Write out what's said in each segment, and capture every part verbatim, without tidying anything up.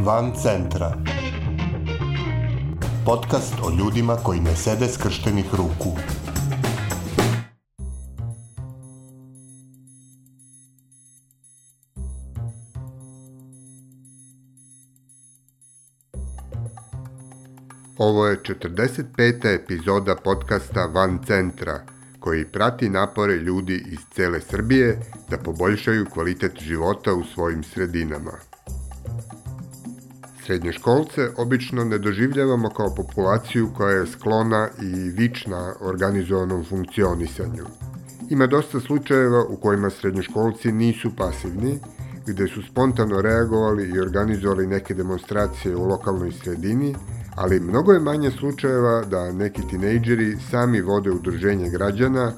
Van centra. Podcast o ljudima koji ne sede skrštenih ruku. Ovo je četrdeset peta epizoda podcasta Van centra, koji prati napore ljudi iz cele Srbije da poboljšaju kvalitet života u svojim sredinama. Srednjoškolce obično ne doživljavamo kao populaciju koja je sklona i vična organizovanom funkcionisanju. Ima dosta slučajeva u kojima srednjoškolci nisu pasivni, gde su spontano reagovali i organizovali neke demonstracije u lokalnoj sredini, ali mnogo je manje slučajeva da neki tinejdžeri sami vode udruženje građana,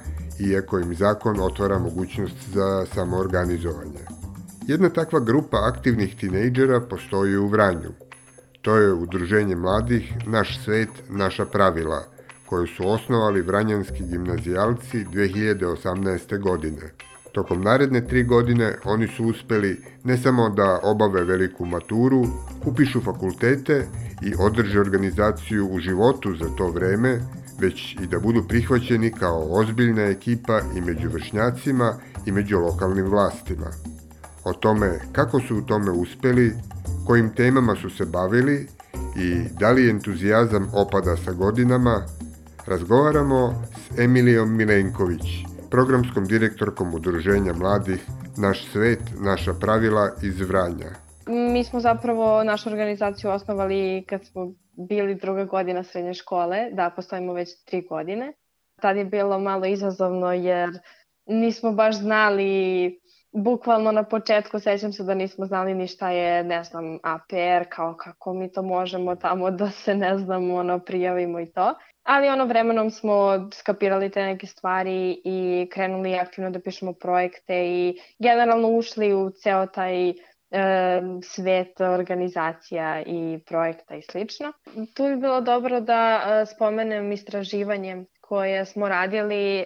iako im zakon otvara mogućnost za samoorganizovanje. Jedna takva grupa aktivnih tinejdžera postoji u Vranju. To je udruženje mladih Naš svet, naša pravila, koju su osnovali vranjanski gimnazijalci dve hiljade osamnaeste. godine. Tokom naredne tri godine oni su uspeli ne samo da obave veliku maturu, upišu fakultete i održe organizaciju u životu za to vreme, već i da budu prihvaćeni kao ozbiljna ekipa i među vršnjacima i među lokalnim vlastima. O tome kako su u tome uspeli, kojim temama su se bavili i da li entuzijazam opada sa godinama, razgovaramo s Emilijom Milenković, programskom direktorkom udruženja mladih Naš svet, naša pravila iz Vranja. Mi smo zapravo našu organizaciju osnovali kad smo bili druga godina srednje škole, da postojimo već tri godine. Tad je bilo malo izazovno jer nismo baš znali, bukvalno na početku sećam se da nismo znali ni šta je, ne znam, A P R, kao kako mi to možemo tamo da se, ne znam, ono, prijavimo i to. Ali ono vremenom smo skapirali te neke stvari i krenuli aktivno da pišemo projekte i generalno ušli u ceo taj e, svet organizacija i projekta i slično. Tu bi bilo dobro da e, spomenem istraživanje koje smo radili uh,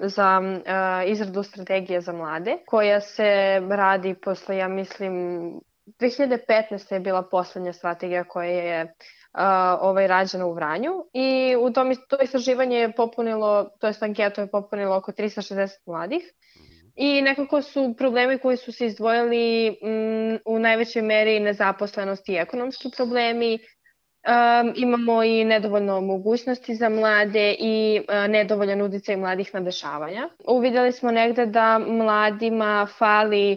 za uh, izradu strategije za mlade, koja se radi posle, ja mislim, dve hiljade petnaeste. je bila poslednja strategija koja je uh, ovaj, rađena u Vranju i u tom to istraživanje je popunilo, to jest anketu je popunilo oko trista šezdeset mladih i nekako su problemi koji su se izdvojili m, u najvećoj meri nezaposlenost i ekonomski problemi. Um, imamo i nedovoljno mogućnosti za mlade i uh, nedovoljan uticaj mladih na dešavanja. Uvidjeli smo negde da mladima fali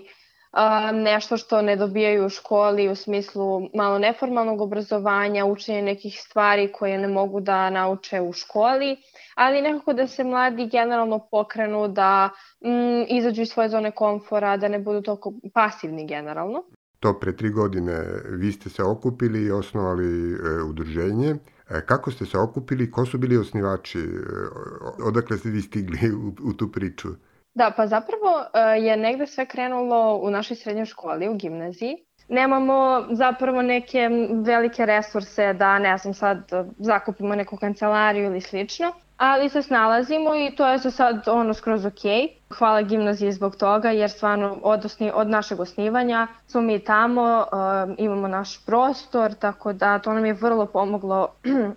uh, nešto što ne dobijaju u školi u smislu malo neformalnog obrazovanja, učenja nekih stvari koje ne mogu da nauče u školi, ali nekako da se mladi generalno pokrenu, da mm, izađu iz svoje zone komfora, da ne budu toliko pasivni generalno. To pre tri godine vi ste se okupili i osnovali e, udruženje. E, kako ste se okupili? Ko su bili osnivači? E, odakle ste vi stigli u, u tu priču? Da, pa zapravo e, je negde sve krenulo u našoj srednjoj školi, u gimnaziji. Nemamo zapravo neke velike resurse da, ne znam, sad zakupimo neku kancelariju ili slično, ali se snalazimo i to je za sad ono skroz ok. Hvala gimnaziji zbog toga jer stvarno od, osni, od našeg osnivanja smo mi tamo, um, imamo naš prostor, tako da to nam je vrlo pomoglo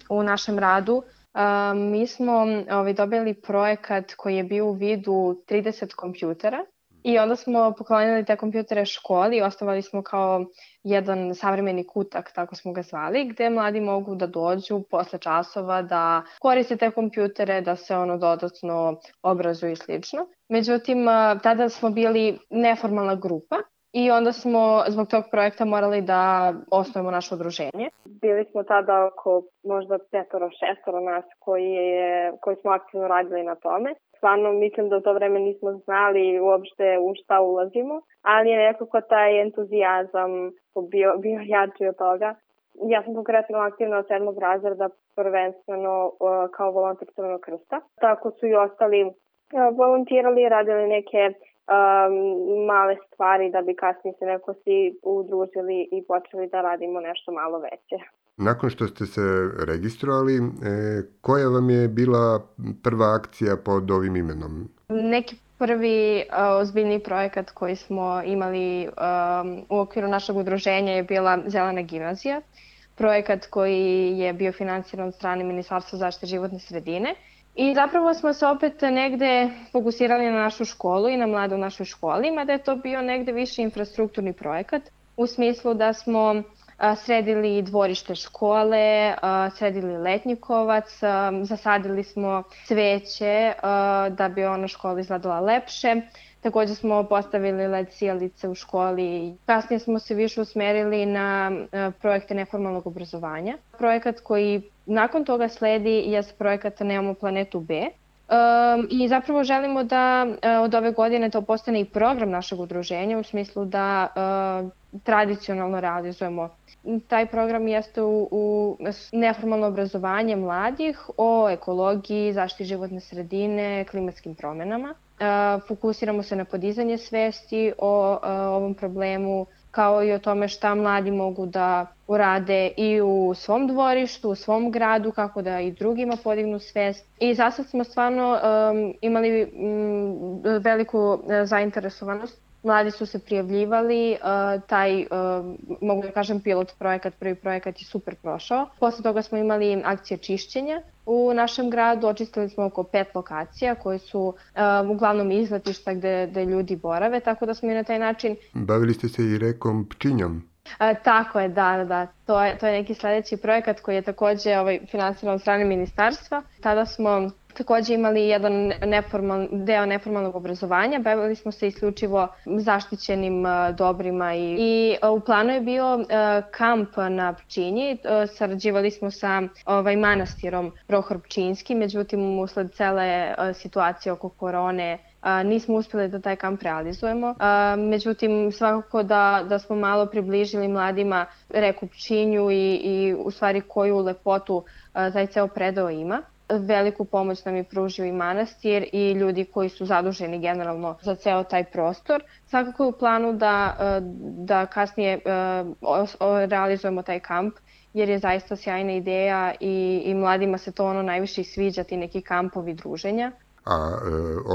u našem radu. Um, mi smo ovaj, dobili projekat koji je bio u vidu trideset kompjutera. I onda smo poklonili te kompjutere školi i osnovali smo kao jedan savremeni kutak, tako smo ga zvali, gde mladi mogu da dođu posle časova, da koriste te kompjutere, da se ono dodatno obrazuju i slično. Međutim, tada smo bili neformalna grupa i onda smo zbog tog projekta morali da osnovimo naše udruženje. Bili smo tada oko možda petoro, šestoro nas koji, je, koji smo aktivno radili na tome. Stvarno mislim da u to vreme nismo znali uopšte u šta ulazimo, ali je nekako taj entuzijazam bio, bio jači od toga. Ja sam konkretno aktivna od sedmog razreda, prvenstveno uh, kao volonter Crvenog krsta. Tako su i ostali uh, volontirali, radili neke um, male stvari da bi kasnije se neko svi udružili i počeli da radimo nešto malo veće. Nakon što ste se registrovali, e, koja vam je bila prva akcija pod ovim imenom? Neki Prvi uh, ozbiljni projekat koji smo imali um, u okviru našeg udruženja je bila Zelena gimnazija. Projekat koji je bio finansiran od strane Ministarstva zaštite životne sredine. I zapravo smo se opet negde fokusirali na našu školu i na mlade u našoj školi, mada je to bio negde više infrastrukturni projekat, u smislu da smo a, sredili dvorište škole, a, sredili letnjikovac, a, zasadili smo cveće a, da bi ona škola izgledala lepše. Takođe smo postavili led sijalice u školi. Kasnije smo se više usmerili na projekte neformalnog obrazovanja. Projekat koji nakon toga sledi je projekat Nemamo planetu B. Um, I zapravo želimo da uh, od ove godine to postane i program našeg udruženja u smislu da uh, tradicionalno realizujemo. Taj program jeste u, u neformalno obrazovanje mladih o ekologiji, zaštiti životne sredine, klimatskim promenama. Uh, fokusiramo se na podizanje svesti o uh, ovom problemu, kao i o tome šta mladi mogu da urade i u svom dvorištu, u svom gradu, kako da i drugima podignu svest. I za sad smo stvarno um, imali um, veliku uh, zainteresovanost. Mladi su se prijavljivali, uh, taj, uh, mogu da kažem, pilot projekat, prvi projekat je super prošao. Posle toga smo imali akcije čišćenja u našem gradu, očistili smo oko pet lokacija koje su uh, uglavnom izletišta gde, gde ljudi borave, tako da smo i na taj način... Bavili ste se i rekom Pčinjom? A, tako je, da, da, to je, to je neki sledeći projekat koji je takođe ovaj, finansiran od strane ministarstva. Tada smo takođe imali jedan neformal, deo neformalnog obrazovanja, bavili smo se isključivo zaštićenim uh, dobrima i, i uh, u planu je bio uh, kamp na Pčinji, uh, sarađivali smo sa ovaj, manastirom Prohor Pčinjski, međutim usled cele uh, situacije oko korone Uh, nismo uspeli da taj kamp realizujemo. Uh, međutim, svakako da, da smo malo približili mladima reku Pčinju i, i u stvari koju lepotu uh, taj ceo predeo ima. Veliku pomoć nam je pružio i manastir i ljudi koji su zaduženi generalno za ceo taj prostor. Svakako je u planu da, uh, da kasnije uh, realizujemo taj kamp, jer je zaista sjajna ideja i, i mladima se to ono najviše sviđa, ti neki kampovi druženja. A e,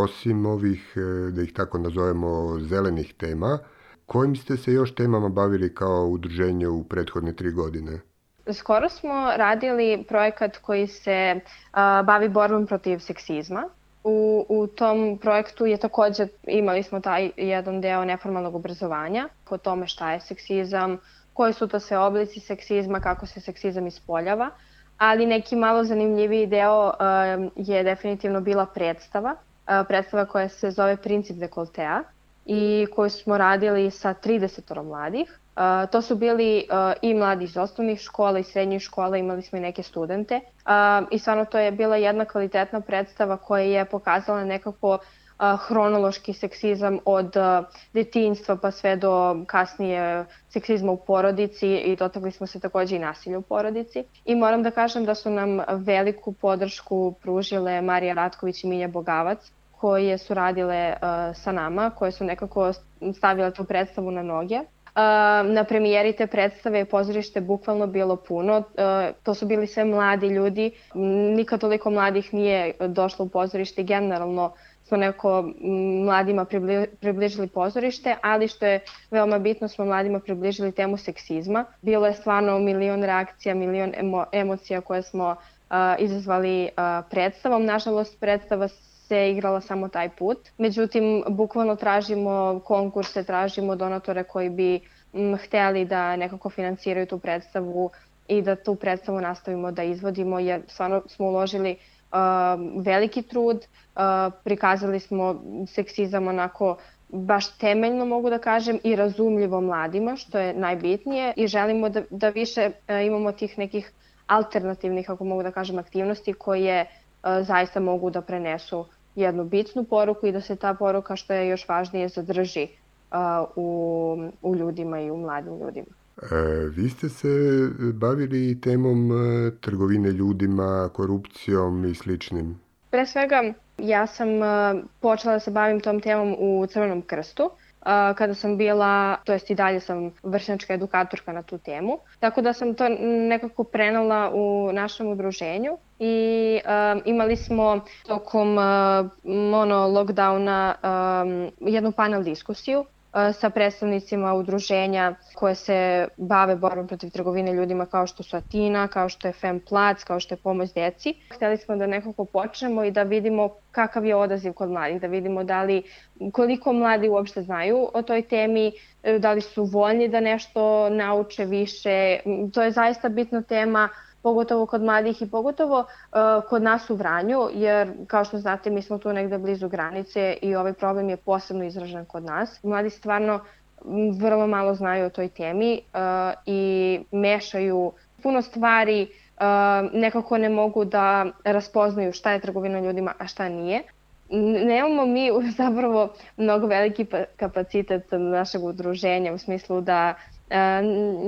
osim ovih, e, da ih tako nazovemo, zelenih tema, kojim ste se još temama bavili kao udruženje u prethodne tri godine? Skoro smo radili projekat koji se a, bavi borbom protiv seksizma. U, u tom projektu je takođe, imali smo taj jedan deo neformalnog obrazovanja o tome šta je seksizam, koji su to sve oblici seksizma, kako se seksizam ispoljava. Ali neki malo zanimljiviji deo uh, je definitivno bila predstava, uh, predstava koja se zove Princip dekoltea i koju smo radili sa trideset mladih. Uh, to su bili uh, i mladi iz osnovnih škola i srednjih škola, imali smo i neke studente uh, i stvarno to je bila jedna kvalitetna predstava koja je pokazala nekako Uh, hronološki seksizam od uh, detinjstva pa sve do kasnije seksizma u porodici i dotakli smo se takođe i nasilja u porodici. I moram da kažem da su nam veliku podršku pružile Marija Ratković i Milja Bogavac, koje su radile uh, sa nama, koje su nekako stavile tu predstavu na noge. Uh, na premijeri te predstave je pozorište bukvalno bilo puno. Uh, to su bili sve mladi ljudi. Nikad toliko mladih nije došlo u pozorište. Generalno smo neko mladima približili pozorište, ali što je veoma bitno, smo mladima približili temu seksizma. Bilo je stvarno milion reakcija, milion emo, emocija koje smo uh, izazvali uh, predstavom. Nažalost, predstava se igrala samo taj put. Međutim, bukvalno tražimo konkurse, tražimo donatore koji bi m, hteli da nekako finansiraju tu predstavu i da tu predstavu nastavimo da izvodimo, jer stvarno smo uložili uh, veliki trud, uh, prikazali smo seksizam onako baš temeljno, mogu da kažem, i razumljivo mladima, što je najbitnije, i želimo da, da više uh, imamo tih nekih alternativnih, ako mogu da kažem, aktivnosti koje uh, zaista mogu da prenesu jednu bitnu poruku i da se ta poruka, što je još važnije, zadrži uh, u, u ljudima i u mladim ljudima. E, vi ste se bavili temom e, trgovine ljudima, korupcijom i sličnim. Pre svega, ja sam uh, počela da se bavim tom temom u Crvenom krstu. Uh, kada sam bila, to jest i dalje sam vršnjačka edukatorka na tu temu. Tako da sam to nekako prenela u našem udruženju i um, imali smo tokom uh, mono lockdowna um, jednu panel diskusiju sa predstavnicima udruženja koje se bave borbom protiv trgovine ljudima kao što su Atina, kao što je Femplac, kao što je Pomoć deci. Hteli smo da nekako počnemo i da vidimo kakav je odaziv kod mladih, da vidimo da li, koliko mladi uopšte znaju o toj temi, da li su voljni da nešto nauče više. To je zaista bitna tema, pogotovo kod mladih i pogotovo uh, kod nas u Vranju, jer kao što znate mi smo tu negde blizu granice i ovaj problem je posebno izražen kod nas. Mladi stvarno vrlo malo znaju o toj temi uh, i mešaju puno stvari, uh, nekako ne mogu da raspoznaju šta je trgovina ljudima, a šta nije. Nemamo mi zapravo mnogo veliki kapacitet našeg udruženja u smislu da E,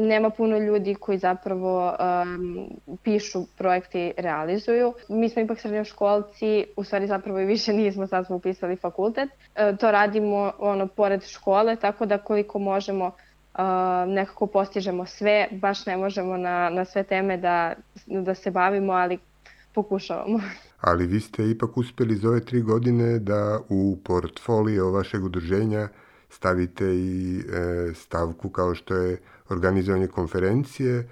nema puno ljudi koji zapravo um, pišu projekte i realizuju. Mi smo ipak srednjoškolci, u stvari zapravo i više nismo, sad smo upisali fakultet. E, to radimo ono pored škole, tako da koliko možemo uh, nekako postižemo sve, baš ne možemo na, na sve teme da, da se bavimo, ali pokušavamo. Ali vi ste ipak uspjeli za ove tri godine da u portfolio vašeg udruženja stavite i e, stavku kao što je organizovanje konferencije e,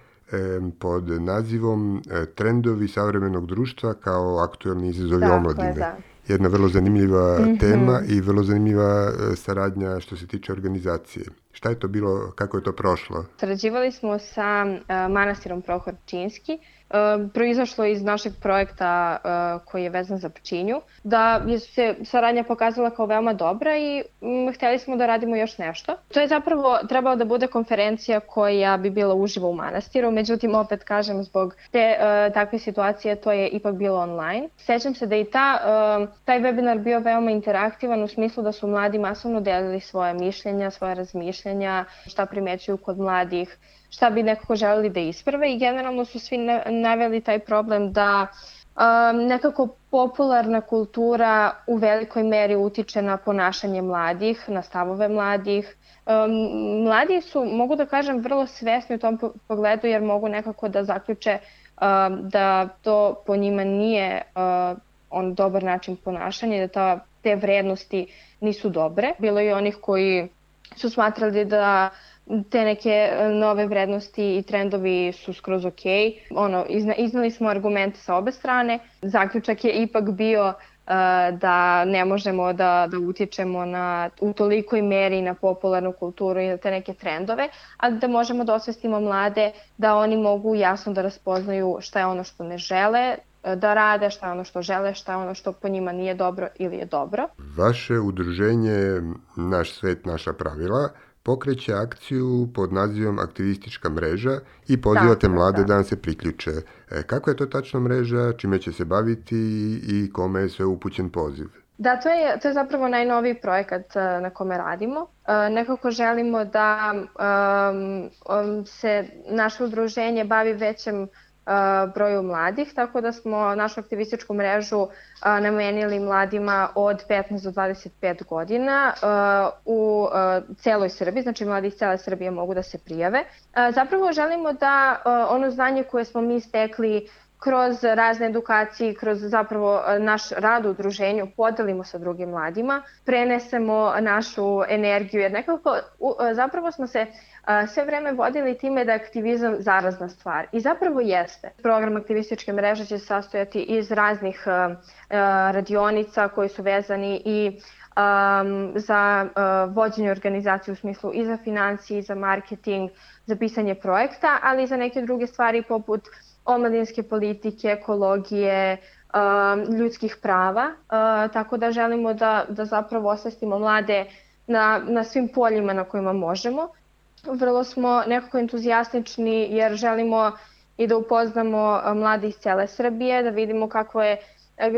pod nazivom e, Trendovi savremenog društva kao aktuelni izazovi omladine. Da. Jedna vrlo zanimljiva mm-hmm. tema i vrlo zanimljiva e, saradnja što se tiče organizacije. Šta je to bilo, kako je to prošlo? Sarađivali smo sa uh, manastirom Prohor Pčinjski. Uh, proizašlo iz našeg projekta uh, koji je vezan za Pčinju, da je se saradnja pokazala kao veoma dobra i um, hteli smo da radimo još nešto. To je zapravo trebalo da bude konferencija koja bi bila uživo u manastiru, međutim opet kažem zbog te uh, takve situacije to je ipak bilo online. Sećam se da i ta, uh, taj webinar bio veoma interaktivan u smislu da su mladi masovno delili svoje mišljenja, svoje razmišljenja, šta primećuju kod mladih, šta bi nekako želeli da isprave i generalno su svi naveli taj problem da um, nekako popularna kultura u velikoj meri utiče na ponašanje mladih, na stavove mladih. Um, mladi su, mogu da kažem, vrlo svesni u tom pogledu jer mogu nekako da zaključe um, da to po njima nije uh, on dobar način ponašanja, da ta, te vrednosti nisu dobre. Bilo je onih koji su smatrali da te neke nove vrednosti i trendovi su skroz ok. Ono, izna, iznali smo argumente sa obe strane. Zaključak je ipak bio uh, da ne možemo da, da utičemo na, u tolikoj meri na popularnu kulturu i na te neke trendove, ali da možemo da osvestimo mlade da oni mogu jasno da raspoznaju šta je ono što ne žele da rade, šta je ono što žele, šta je ono što po njima nije dobro ili je dobro. Vaše udruženje Naš svet, naša pravila pokreće akciju pod nazivom Aktivistička mreža i pozivate mlade da vam se priključe. E, kako je to tačno mreža, čime će se baviti i kome je sve upućen poziv? Da, to je, to je zapravo najnoviji projekat na kome radimo. E, nekako želimo da um, um, se naše udruženje bavi većem broju mladih, tako da smo našu aktivističku mrežu a, namenili mladima od petnaest do dvadeset pet godina a, u a, celoj Srbiji, znači mladi iz cele Srbije mogu da se prijave. A, zapravo želimo da a, ono znanje koje smo mi stekli kroz razne edukacije, kroz zapravo naš rad u udruženju podelimo sa drugim mladima, prenesemo našu energiju, jer nekako zapravo smo se sve vreme vodili time da je aktivizam zarazna stvar. I zapravo jeste. Program aktivističke mreže će se sastojati iz raznih radionica koji su vezani i um, za uh, vođenje organizacije u smislu i za financije, i za marketing, za pisanje projekta, ali i za neke druge stvari poput omladinske politike, ekologije, uh, ljudskih prava. Uh, tako da želimo da, da zapravo osvestimo mlade na, na svim poljima na kojima možemo. Vrlo smo nekako entuzijastični jer želimo i da upoznamo mlade iz cele Srbije, da vidimo kako je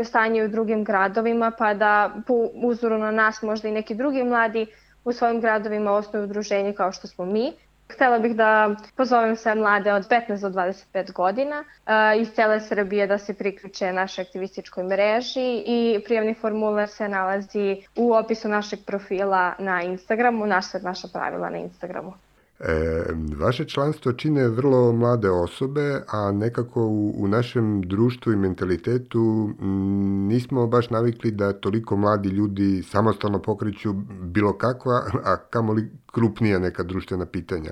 stanje u drugim gradovima, pa da po uzoru na nas možda i neki drugi mladi u svojim gradovima osnuju udruženje kao što smo mi. Htela bih da pozovem sve mlade od petnaest do dvadeset pet godina uh, iz cele Srbije da se priključe našoj aktivističkoj mreži i prijavni formular se nalazi u opisu našeg profila na Instagramu, naš svet, naša pravila na Instagramu. E, vaše članstvo čine vrlo mlade osobe, a nekako u, u našem društvu i mentalitetu m, nismo baš navikli da toliko mladi ljudi samostalno pokreću bilo kakva, a kamoli krupnija neka društvena pitanja.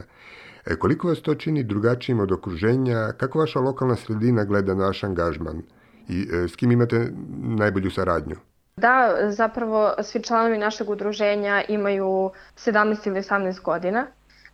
E, koliko vas to čini drugačijim od okruženja? Kako vaša lokalna sredina gleda na vaš angažman? I e, s kim imate najbolju saradnju? Da, zapravo svi članovi našeg udruženja imaju sedamnaest ili osamnaest godina.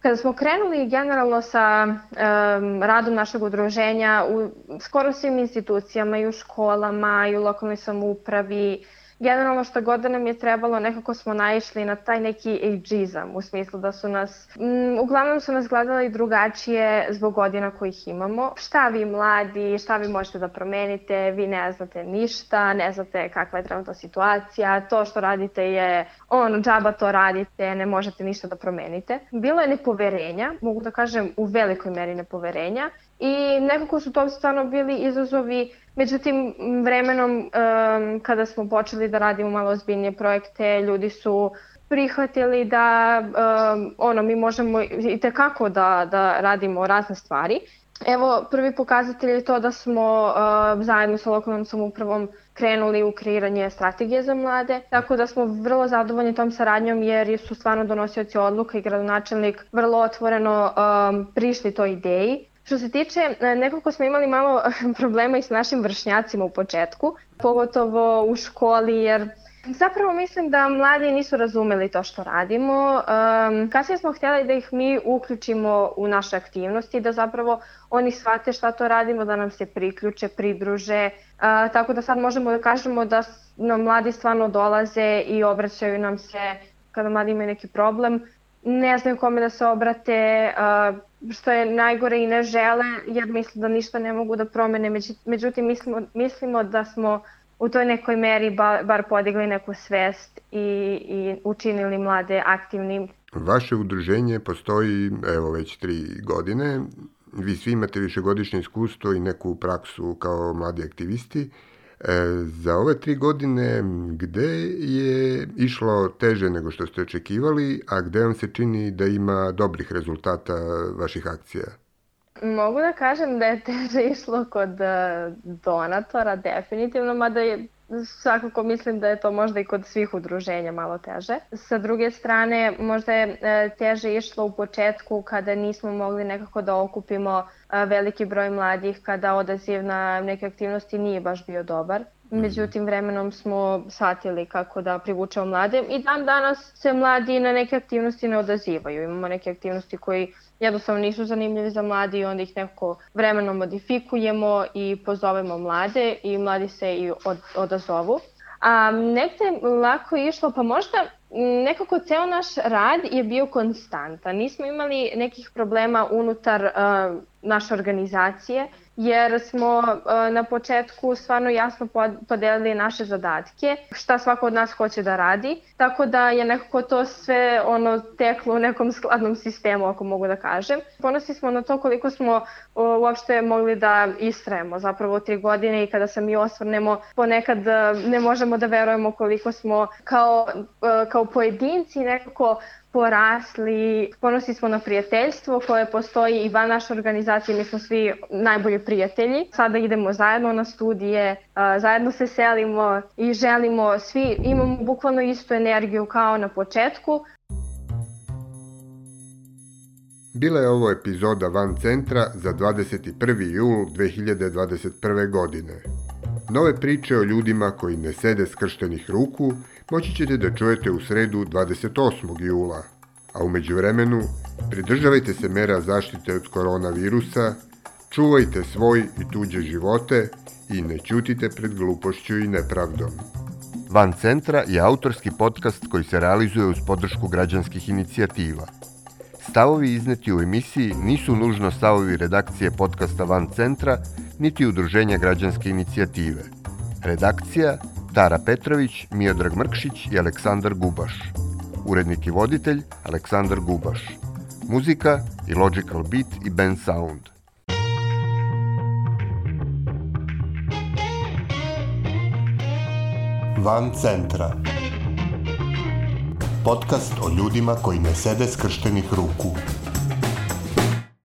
Kada smo krenuli generalno sa um, radom našeg udruženja u skoro svim institucijama, i u školama, i u lokalnoj samoupravi, generalno što god da nam je trebalo, nekako smo naišli na taj neki ageizam, u smislu da su nas, m, uglavnom su nas gledali drugačije zbog godina kojih imamo. Šta vi mladi, šta vi možete da promenite, vi ne znate ništa, ne znate kakva je trenutna situacija, to što radite je ono, džaba to radite, ne možete ništa da promenite. Bilo je nepoverenja, mogu da kažem u velikoj meri nepoverenja, i nekako su to stvarno bili izazovi. Međutim, vremenom um, kada smo počeli da radimo malo ozbiljnije projekte, ljudi su prihvatili da um, ono, mi možemo i tekako da, da radimo razne stvari. Evo, prvi pokazatelj je to da smo uh, zajedno sa lokalnom samoupravom krenuli u kreiranje strategije za mlade, tako da smo vrlo zadovoljni tom saradnjom jer su stvarno donosioci odluka i gradonačelnik vrlo otvoreno um, prišli toj ideji. Što se tiče, nekako smo imali malo problema i s našim vršnjacima u početku, pogotovo u školi, jer zapravo mislim da mladi nisu razumeli to što radimo. Um, kasnije smo htjeli da ih mi uključimo u naše aktivnosti, da zapravo oni shvate šta to radimo, da nam se priključe, pridruže. Uh, tako da sad možemo da kažemo da nam mladi stvarno dolaze i obraćaju nam se kada mladi imaju neki problem. Ne znaju kome da se obrate, uh, što je najgore, i ne žele jer misle da ništa ne mogu da promene. Međutim, mislimo, mislimo da smo u toj nekoj meri bar, bar podigli neku svest i, i učinili mlade aktivnim. Vaše udruženje postoji evo već tri godine. Vi svi imate višegodišnje iskustvo i neku praksu kao mladi aktivisti. E, za ove tri godine gde je išlo teže nego što ste očekivali, a gde vam se čini da ima dobrih rezultata vaših akcija? Mogu da kažem da je teže išlo kod donatora, definitivno, mada je svakako mislim da je to možda i kod svih udruženja malo teže. Sa druge strane, možda je teže išlo u početku kada nismo mogli nekako da okupimo veliki broj mladih, kada odaziv na neke aktivnosti nije baš bio dobar. Međutim, vremenom smo shvatili kako da privučemo mlade i dan danas se mladi na neke aktivnosti ne odazivaju. Imamo neke aktivnosti koji jednostavno nisu zanimljivi za mladi i onda ih nekako vremenom modifikujemo i pozovemo mlade i mladi se i od, odazovu. A negde lako je išlo, pa možda nekako ceo naš rad je bio konstantan. Nismo imali nekih problema unutar uh, naše organizacije, jer smo uh, na početku stvarno jasno podelili naše zadatke, šta svako od nas hoće da radi, tako da je nekako to sve ono teklo u nekom skladnom sistemu, ako mogu da kažem. Ponosni smo na to koliko smo uh, uopšte mogli da istrajemo zapravo tri godine i kada se mi osvrnemo, ponekad uh, ne možemo da verujemo koliko smo kao, uh, kao pojedinci nekako porasli. Ponosni smo na prijateljstvo koje postoji i van naše organizacije, mi smo svi najbolji prijatelji. Sada idemo zajedno na studije, zajedno se selimo i želimo, svi imamo bukvalno istu energiju kao na početku. Bila je ovo epizoda Van centra za dvadeset prvi jul dve hiljade dvadeset prve. godine. Nove priče o ljudima koji ne sede skrštenih ruku moći ćete da čujete u sredu dvadeset osmog jula, a u međuvremenu pridržavajte se mera zaštite od koronavirusa, čuvajte svoj i tuđe živote i ne ćutite pred glupošću i nepravdom. Van centra je autorski podcast koji se realizuje uz podršku građanskih inicijativa. Stavovi izneti u emisiji nisu nužno stavovi redakcije podcasta Van centra, niti udruženja građanske inicijative. Redakcija Tara Petrović, Miodrag Mrkšić i Aleksandar Gubaš. Urednik i voditelj Aleksandar Gubaš. Muzika i Logical Beat i Band Sound. Van centra. Podcast o ljudima koji ne sede skrštenih ruku.